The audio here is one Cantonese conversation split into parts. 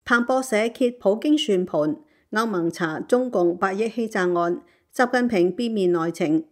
彭博社揭普京算盤，歐盟查中共8億欺詐案，習近平變面內情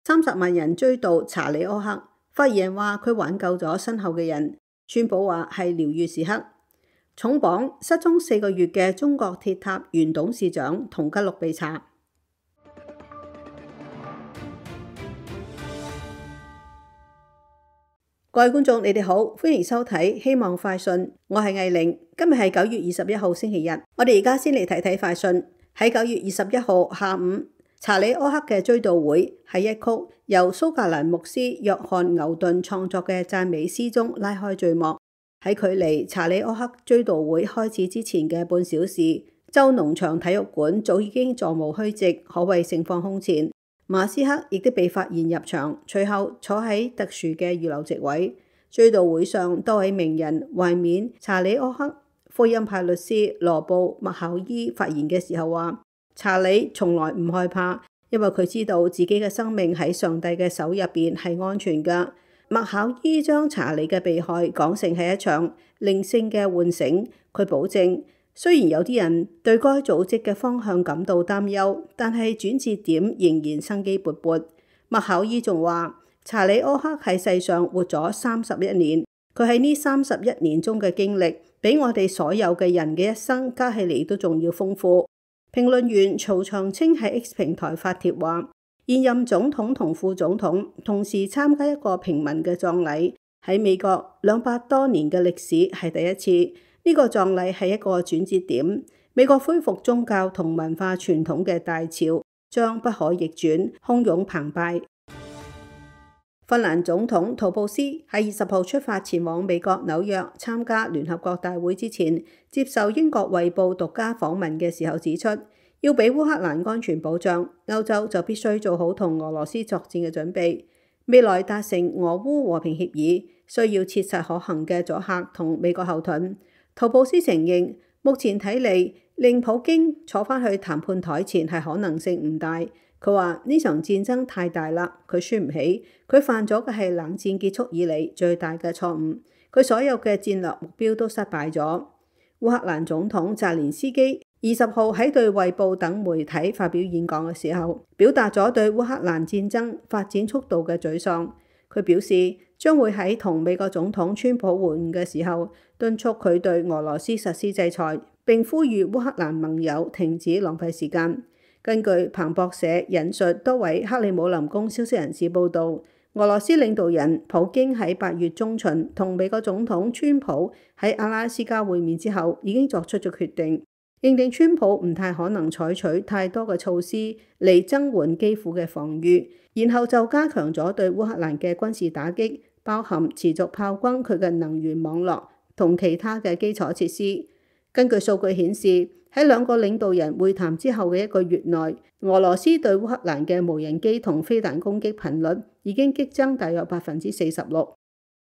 ，30萬人追悼查理柯克，發言人話佢挽救咗身後嘅人，川普話係療癒時刻。重磅失蹤4個月嘅中國鐵塔原董事長同吉祿被查。各位觀眾，你哋好，歡迎收睇希望快訊，我係藝玲。今日係9月21號星期日，我哋而家先嚟睇睇快訊。喺9月21號下午，查理柯克嘅追悼會喺一曲由蘇格蘭牧師約翰牛頓創作嘅讚美詩中拉開序幕。喺距離查理柯克追悼會開始之前嘅半小時，州農場體育館早已經座無虛席，可謂盛況空前。馬斯克亦都被發現入場，隨後坐喺特殊嘅預留席位。追悼會上，多位名人懷緬查理柯克。福音派律師羅布麥考伊發言嘅時候話：查理從來唔害怕，因為佢知道自己嘅生命喺上帝嘅手入邊係安全㗎。麥考伊將查理嘅被害講成係一場靈性嘅喚醒，佢保證，雖然有啲人對該組織嘅方向感到擔憂，但係轉折點仍然生機勃勃。麥考伊仲話：查理柯克喺世上活咗31年，佢喺呢31年中嘅經歷，比我哋所有嘅人嘅一生加起嚟都仲要豐富。評論員曹長青喺 X 平台發帖話：現任總統同副總統同時參加一個平民嘅葬禮，喺美國200多年嘅歷史係第一次。呢個葬禮係一個轉折點，美國恢復宗教同文化傳統嘅大潮將不可逆轉，洶湧澎湃。芬蘭總統圖布斯喺20號出發前往美國紐約參加聯合國大會之前，接受英國衛報獨家訪問嘅時候指出，要俾烏克蘭安全保障，歐洲就必須做好同俄羅斯作戰嘅準備。未來達成俄烏和平協議，需要切實可行嘅阻嚇同美國後盾。圖布斯承認，目前睇嚟令普京坐返去談判台前係可能性唔大。佢話呢場戰爭太大啦，佢輸唔起，佢犯咗嘅係冷戰結束以嚟最大嘅錯誤，佢所有嘅戰略目標都失敗咗。烏克蘭總統澤連斯基20號喺對衛報等媒體發表演講嘅時候，表達咗對烏克蘭戰爭發展速度嘅沮喪。佢表示將會喺同美國總統川普會晤嘅時候，敦促佢對俄羅斯實施制裁，並呼籲烏克蘭盟友停止浪費時間。根據彭博社引述多位克里姆林宮消息人士報導，俄羅斯領導人普京喺8月中旬同美國總統川普喺阿拉斯加會面之後，已經作出咗決定，認定川普唔太可能採取太多嘅措施嚟增援基輔嘅防禦，然後就加強咗對烏克蘭嘅軍事打擊，包含持續炮轟佢嘅能源網絡同其他嘅基礎設施。根據數據顯示，喺兩個領導人會談之後嘅1個月內，俄羅斯對烏克蘭嘅無人機同飛彈攻擊頻率已經激增大約46%。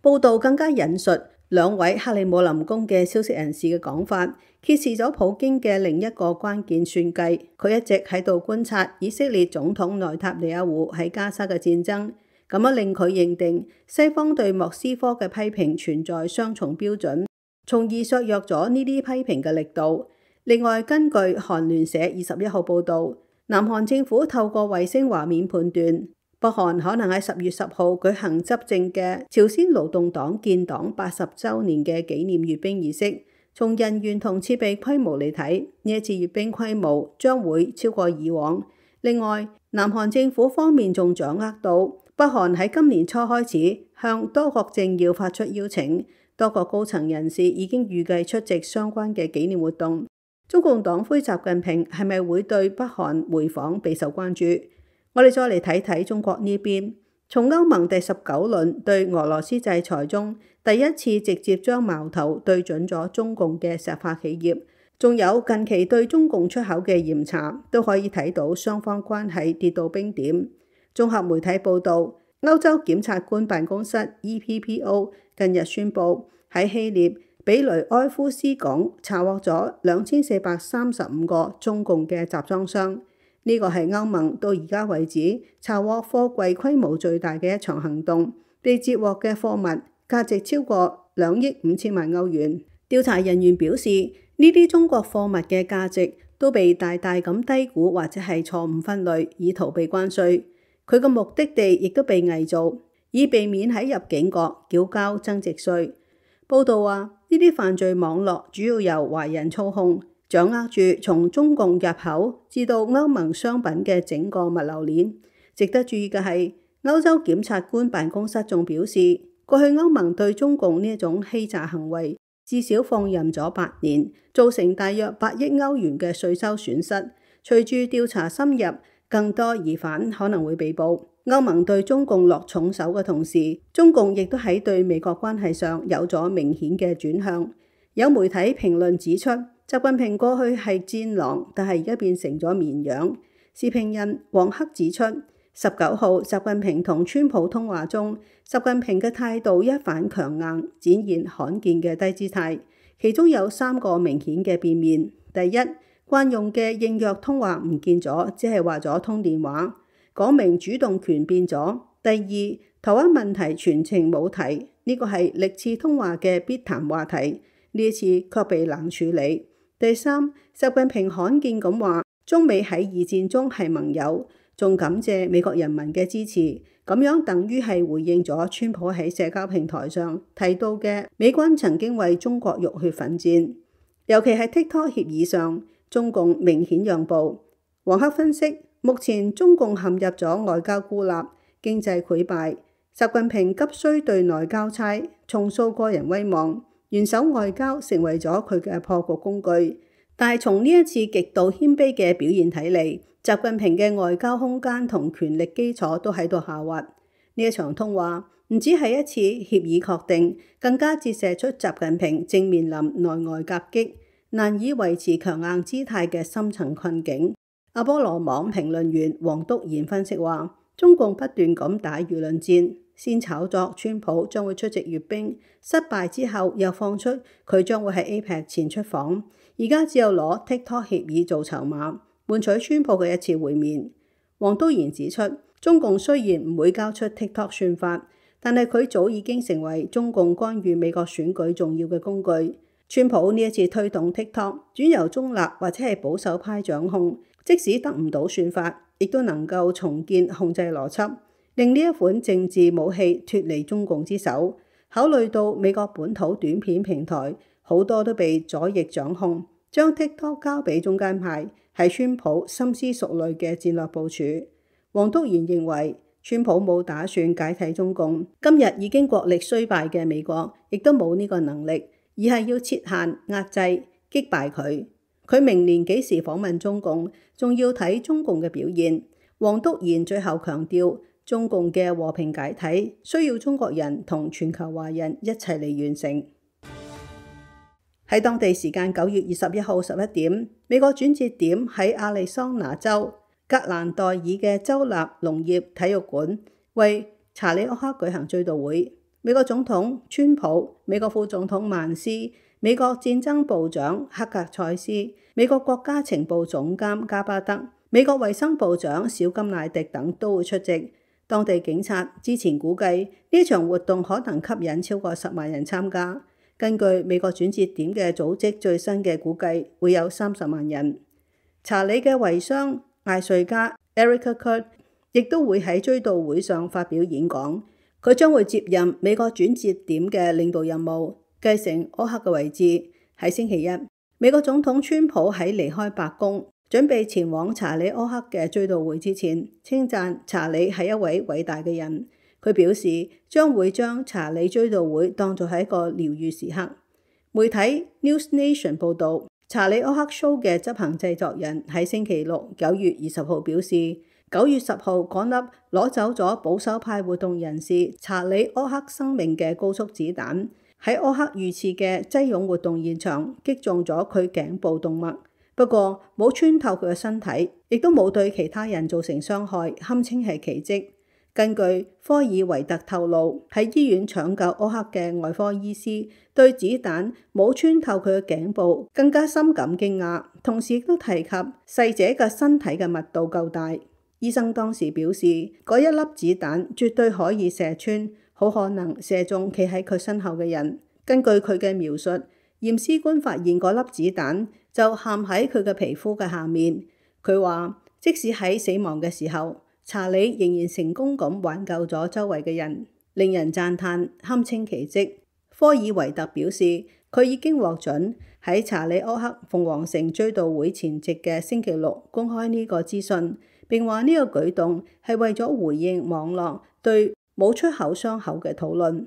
報道更加引述2位克里姆林宮嘅消息人士嘅講法，揭示咗普京嘅另一個關鍵算計。佢一直喺度觀察以色列總統內塔尼亞胡喺加沙嘅戰爭，咁樣令佢認定西方對莫斯科嘅批評存在雙重標準，從而削弱咗呢啲批評嘅力度。另外，根據韓聯社21號報導，南韓政府透過衛星畫面判斷，北韓可能喺10月10號舉行執政嘅朝鮮勞動黨建黨80週年嘅紀念閱兵儀式。從人員同設備規模嚟睇，呢一次閱兵規模將會超過以往。另外，南韓政府方面仲掌握到北韓喺今年初開始向多國政要發出邀請，多國高層人士已經預計出席相關嘅紀念活動。中共黨魁習近平係咪會對北韓回訪備受關注？我哋再嚟睇睇中國呢邊，從歐盟第19輪對俄羅斯制裁中，第一次直接將矛頭對準咗中共嘅石化企業，仲有近期對中共出口嘅嚴查，都可以睇到雙方關係跌到冰點。綜合媒體報導，歐洲檢察官辦公室 EPPO 近日宣布喺希臘比雷埃夫斯港查獲咗2435個中共嘅集裝箱，呢個係歐盟到而家為止查獲貨櫃規模最大嘅一場行動，被截獲嘅貨物價值超過2億5千萬歐元。調查人員表示，呢啲中國貨物嘅價值都被大大咁低估或者係錯誤分類，以逃避關稅。佢嘅目的地亦都被偽造，以避免喺入境國繳交增值稅。報道話，呢啲犯罪網絡主要由華人操控，掌握住從中共入口至到歐盟商品嘅整個物流鏈。值得注意嘅係，歐洲檢察官辦公室仲表示，過去歐盟對中共呢一種欺詐行為至少放任咗8年，造成大約8億歐元嘅稅收損失。隨住調查深入，更多疑犯可能會被捕。歐盟對中共落重手嘅同時，中共亦都喺對美國關係上有咗明顯嘅轉向。有媒體評論指出，習近平過去係戰狼，但係而家變成咗綿羊。時評人黃克指出，19號習近平同川普通話中，習近平嘅態度一反強硬，展現罕見嘅低姿態。其中有3個明顯嘅變面。第一，慣用嘅應約通話唔見咗，只係話咗通電話，講明主動權變咗。第二，台灣問題全程冇提，呢個係歷次通話嘅必談話題，呢一次卻被冷處理。第三，習近平罕見咁話，中美喺2戰中係盟友，仲感謝美國人民嘅支持，咁樣等於係回應咗川普喺社交平台上提到嘅美軍曾經為中國浴血奮戰。尤其係 TikTok 協議上，中共明顯讓步。黃克分析，目前中共陷入咗外交孤立、經濟潰敗，習近平急需對內交差，重塑個人威望，元首外交成為咗佢嘅破局工具。但係從呢一次極度謙卑嘅表現睇嚟，習近平嘅外交空間同權力基礎都喺度下滑。呢一場通話唔只係一次協議確定，更加折射出習近平正面臨內外夾擊，難以維持強硬姿態嘅深層困境。阿波羅網評論員黃篤賢分析話，中共不斷咁打輿論戰，先炒作川普將會出席閱兵，失敗之後又放出佢將會喺 APEC 前出訪，而家只有攞 TikTok 協議做籌碼，換取川普嘅一次會面。黃篤賢指出，中共雖然唔會交出 TikTok 算法，但係佢早已經成為中共干預美國選舉重要嘅工具。川普呢一次推動 TikTok 轉由中立或者係保守派掌控，即使得唔到算法，亦都能夠重建控制邏輯，令呢一款政治武器脫離中共之手。考慮到美國本土短片平台好多都被左翼掌控，將 TikTok 交俾中間派係川普深思熟慮嘅戰略部署。黃篤賢認為，川普冇打算解體中共，今日已經國力衰敗嘅美國亦都冇呢個能力，而係要設限、壓制、擊敗佢。佢明年幾時訪問中共，仲要睇中共嘅表現。黃篤賢最後強調，中共嘅和平解體需要中國人同全球華人一齊嚟完成。喺當地時間9月21號11點，美國轉折點喺亞利桑那州格蘭代爾嘅州立農業體育館，為查理·柯克舉行追悼會。美國總統川普、美國副總統曼斯、美國戰爭部長克格塞斯、美國國家情報總監加巴德、美國衛生部長小金乃迪等都會出席。當地警察之前估計呢場活動可能吸引超過10萬人參加。根據美國轉折點嘅組織最新嘅估計，會有30萬人。查理嘅遺孀艾瑞加 Erica Kurt 亦都會喺追悼會上發表演講。佢將會接任美國轉折點嘅領導任務，繼承柯克嘅位置。喺星期一，美國總統川普喺離開白宮，準備前往查理柯克嘅追悼會之前，稱讚查理係一位偉大嘅人。佢表示將會將查理追悼會當作係一個療癒時刻。媒體 News Nation 報導，查理柯克 show 嘅執行製作人喺星期六9月20號表示，9月10號嗰粒攞走咗保守派活動人士查理柯克生命嘅高速子彈，喺柯克遇刺嘅擠擁活動現場擊中咗佢頸部動脈，不過冇穿透佢嘅身體，亦都冇對其他人造成傷害，堪稱係奇蹟。根據科爾維特透露，喺醫院搶救柯克嘅外科醫師對子彈冇穿透佢嘅頸部更加深感驚訝，同時亦都提及逝者嘅身體嘅密度夠大。醫生當時表示，嗰一粒子彈絕對可以射穿，好可能射中企喺佢身後嘅人。根據佢嘅描述，驗屍官發現嗰粒子彈就陷喺佢嘅皮膚嘅下面。佢話即使喺死亡嘅時候，查理仍然成功咁挽救咗周圍嘅人，令人讚嘆，堪稱奇蹟。科爾維特表示，佢已經獲准喺查理柯克鳳凰城追悼會前夕嘅星期六公開呢個資訊，並話呢個舉動係為咗回應網絡對冇出口傷口嘅討論。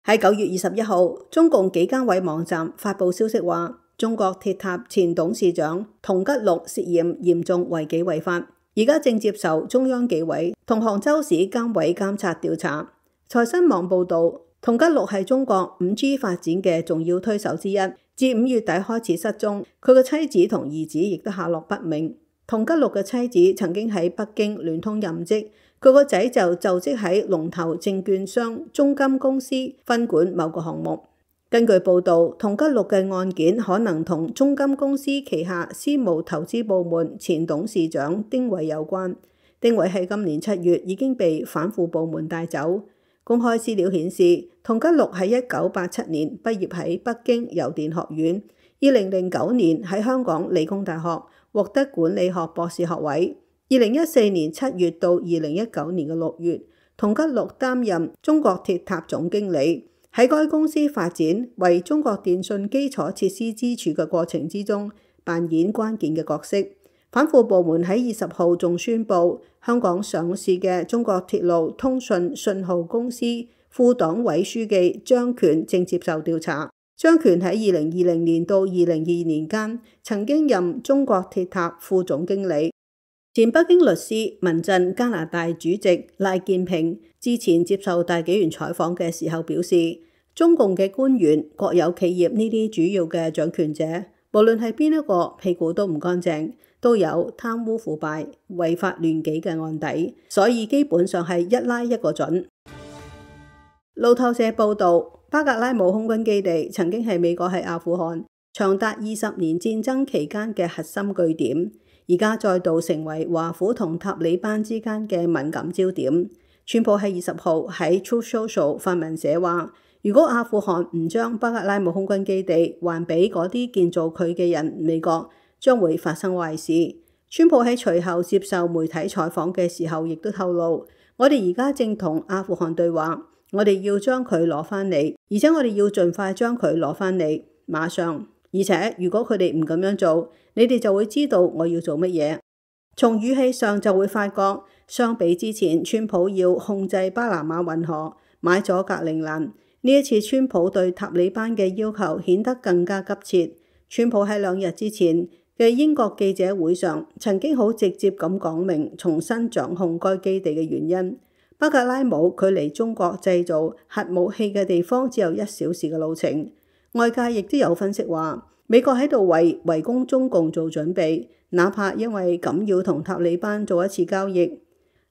喺9月21號，中共幾間委網站發布消息話，中國鐵塔前董事長佟吉祿涉嫌嚴重違紀違法，而家正接受中央紀委同杭州市監委監察調查。財新網報道，佟吉祿係中國 5G 發展嘅重要推手之一，自5月底開始失蹤，佢嘅妻子同兒子亦都下落不明。佟吉祿嘅妻子曾經喺北京聯通任職，佢個仔就就職喺龍頭證券商中金公司分管某個項目。根據報道，佟吉祿嘅案件可能同中金公司旗下私募投資部門前董事長丁偉有關。丁偉喺今年7月已經被反腐部門帶走。公開資料顯示，佟吉祿喺1987年畢業喺北京郵電學院，2009年喺香港理工大學獲得管理學博士學位。2014年7月到2019年6月，佟吉祿擔任中國鐵塔總經理，喺該公司發展為中國電信基礎設施支柱嘅過程之中扮演關鍵嘅角色。反腐部門喺20號仲宣布，香港上市嘅中國鐵路通訊信號公司副黨委書記張權正接受調查。張權喺2020年到2022年間曾經任中國鐵塔副總經理。前北京律師、民陣加拿大主席賴建平之前接受大紀元採訪嘅時候表示，中共嘅官員、國有企業呢啲主要嘅掌權者，無論係邊一個屁股都唔乾淨，都有貪污腐敗、違法亂紀嘅案底，所以基本上係一拉一個準。路透社報道，巴格拉姆空軍基地曾經係美國喺阿富汗長達20年戰爭期間嘅核心據點，而家再度成為華府同塔利班之間嘅敏感焦點。川普喺20號喺 Truth Social 發文寫話，如果阿富汗唔將巴格拉姆空軍基地還俾嗰啲建造佢嘅人，美國將會發生壞事。川普喺隨後接受媒體採訪嘅時候，亦都透露，我哋而家正同阿富汗對話，我哋要將佢攞返嚟，而且我哋要盡快將佢攞返嚟，馬上。而且如果佢哋唔咁樣做，你哋就會知道我要做乜嘢。從語氣上就會發覺，相比之前川普要控制巴拿馬運河、買咗格陵蘭，呢一次川普對塔利班嘅要求顯得更加急切。川普喺2日之前嘅英國記者會上曾經好直接咁講明重新掌控該基地嘅原因。巴格拉姆距離中國製造核武器嘅地方只有1小時嘅路程。外界亦都有分析話，美國喺度為圍攻中共做準備，哪怕因為咁要同塔利班做一次交易。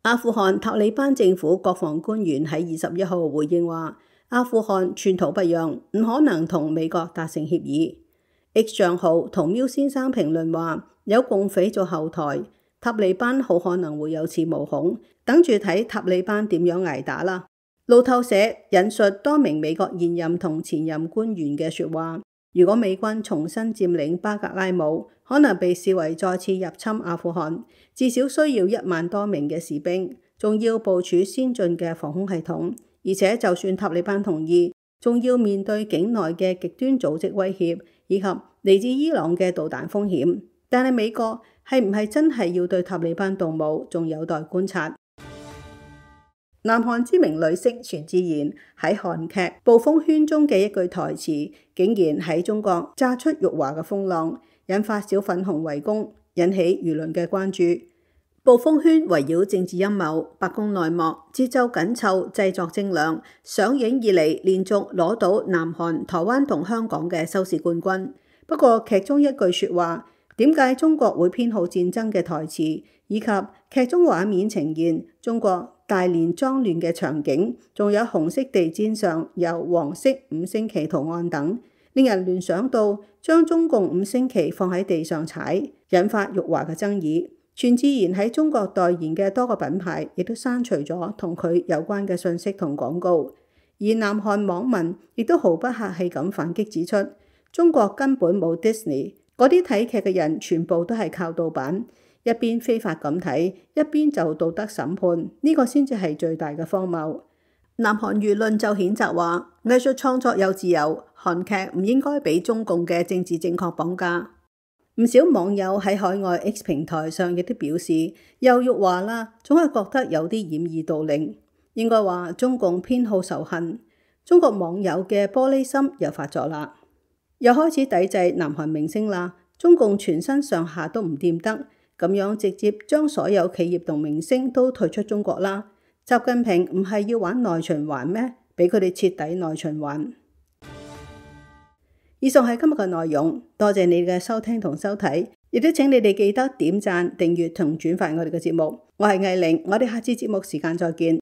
阿富汗塔利班政府國防官員喺21號回應話，阿富汗寸土不讓，唔可能同美國達成協議。X 賬號同喵先生評論話，有共匪做後台，塔利班好可能會有恃無恐，等住睇塔利班點樣捱打啦。路透社引述多名美國現任同前任官員嘅說話，如果美軍重新佔領巴格拉姆，可能被視為再次入侵阿富汗，至少需要1萬多名嘅士兵，仲要部署先進嘅防空系統，而且就算塔利班同意，仲要面對境內嘅極端組織威脅，以及嚟自伊朗嘅導彈風險。但係美國係唔係真係要對塔利班動武，仲有待觀察。南韓知名女星全智賢喺韓劇《暴風圈》中嘅一句台詞，竟然喺中國炸出辱華嘅風浪，引發小粉紅圍攻，引起輿論嘅關注。《暴風圈》圍繞政治陰謀，白宮內幕，節奏緊湊，製作精良，上映以嚟連續攞到南韓、台灣同香港嘅收視冠軍。不過劇中一句說話，點解中國會偏好戰爭嘅台詞，以及劇中畫面呈現中國大連髒亂嘅場景，仲有紅色地氈上有黃色5星旗圖案等，令人聯想到將中共5星旗放喺地上踩，引發辱華嘅爭議。全智賢喺中國代言嘅多個品牌亦都刪除咗同佢有關嘅信息同廣告。而南韓網民亦都毫不客氣咁反擊指出，中國根本冇 Disney， 嗰啲睇劇嘅人全部都係靠盜版，一邊非法咁睇，一邊就道德審判，呢個先至係最大嘅荒謬。南韓輿論就譴責話，藝術創作有自由，韓劇唔應該俾中共嘅政治正確綁架。唔少網友喺海外 X 平台上亦都表示，又辱華啦，總係覺得有啲掩耳盜鈴。應該話中共偏好仇恨，中國網友嘅玻璃心又發作啦，又開始抵制南韓明星啦。中共全身上下都唔掂得，咁樣直接將所有企業同明星都退出中國啦。習近平唔係要玩內循環咩？俾佢哋徹底內循環。以上係今日嘅內容，多謝你嘅收聽同收睇，亦都請你哋記得點讚、訂閱同轉發我哋嘅節目。我係藝玲，我哋下次節目時間再見。